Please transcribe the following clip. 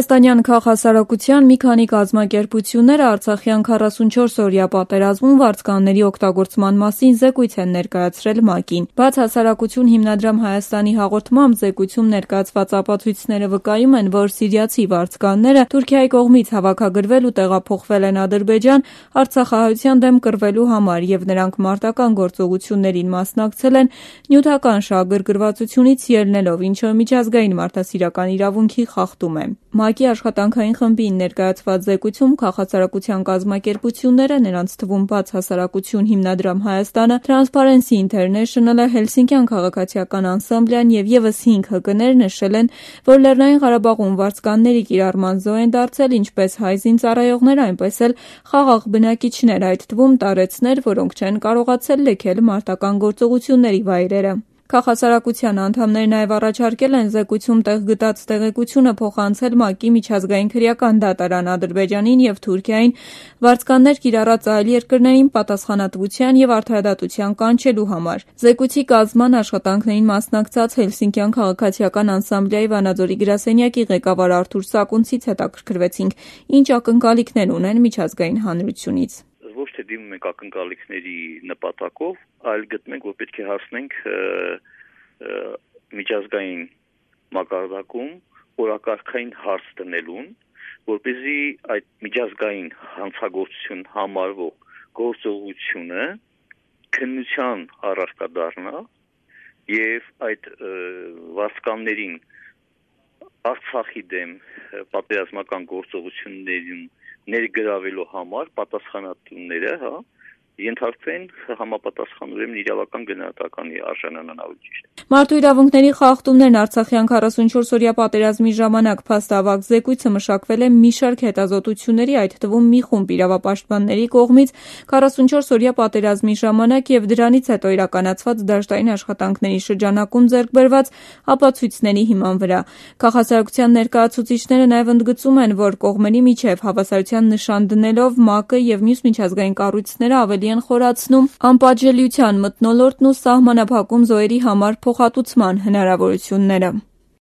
Հայաստանյան քաղաքասարակության մի քանի կազմակերպությունները Արցախյան 44-օրյա պատերազմում վարձկանների օգտագործման մասին զեկույց են ներկայացրել ՄԱԿ-ին։ Բաց հասարակություն հիմնադրամ Հայաստանի հաղորդմամբ զեկույցում ներկայացված ապացույցները վկայում են, որ սիրիացի վարձկանները Թուրքիայի կողմից հավաքագրվել ու տեղափոխվել են Ադրբեջան արցախահայության դեմ կռվելու համար եւ նրանք մարտական գործողություններին մասնակցել են նյութական շահագրգռվածությունից ելնելով, ինչը միջազգային մարդասիրական իրավունքի խախտում է։ ՄԱԿ-ի աշխատանքային խմբին ներկայացված զեկույցում քաղաքասարակության կազմակերպությունները, նրանց թվում Բաց հասարակություն հիմնադրամ Հայաստանը, Transparency International-ը, Հելսինկյան քաղաքացիական անսամբլյան եւ եւս 5 ՀԿ-ներ նշել են, որ Լեռնային Ղարաբաղում վարձկանների կիրառման զոհ են դարձել ինչպես հայ զինծառայողներ, այնպես էլ խաղաղ բնակիչներ, այդ թվում տարեցներ, որոնք չեն կարողացել լքել մարտական գործողությունների վայրերը։ Քաղաքասարակության անդամները նաև առաջարկել են զեկույցում տեղ գտած տեղեկությունը փոխանցել ՄԱԿ-ի միջազգային քրեական դատարան Ադրբեջանին եւ Թուրքիային վարձկաններ կիրառած այլ երկրներին պատասխանատվության եւ արդարադատության կանչելու համար։ Զեկույցի կազմման աշխատանքներին մասնակցած Հելսինկյան քաղաքացիական անսամբլեայի Վանաձորի գրասենյակի ղեկավար Արթուր Սակունցից հետաքրքրվեցինք, ինչ ակնկալիքներ ունեն միջազգային հանրությունից։ Ոչ թե դիմում ենք ակնկալիքների նպատակով, այլ գտնենք, որ պետք է հասնենք միջազգային մակարդակում օրակարգային հարց դնելուն, որպեսզի այդ միջազգային հանցագործություն համարվող գործողությունը քննության առարկա դառնա եւ այդ վարձկաններին Արցախի դեմ պատերազմական գործողություններին ներգրավելու համար պատասխանատուները ենթարկվեն համապատասխան իրավական գնահատականի արժանանան ավելի ճիշտ։ Մարդու իրավունքների խախտումներն Արցախյան 44-օրյա պատերազմի ժամանակ փաստավակ զեկույցը մշակվել է մի շարք հետազոտությունների, այդ թվում մի խումբ իրավապաշտպանների կողմից 44-օրյա պատերազմի ժամանակ եւ դրանից հետո իրականացված դաշտային աշխատանքների շրջանակում ձեռք բերված ապացույցների հիման վրա։ Քաղաքասարակության ներկայացուցիչները նաեւ ընդգծում են, որ կողմերի միջև հավասարության նշան դնելով ՄԱԿ-ը եւ մյուս միջազգային կառույցները ավելի են խորացնում անպատժելիության մթնոլորտն ու սահմանափակում զոհերի համար փոխհատուցման հնարավորությունները։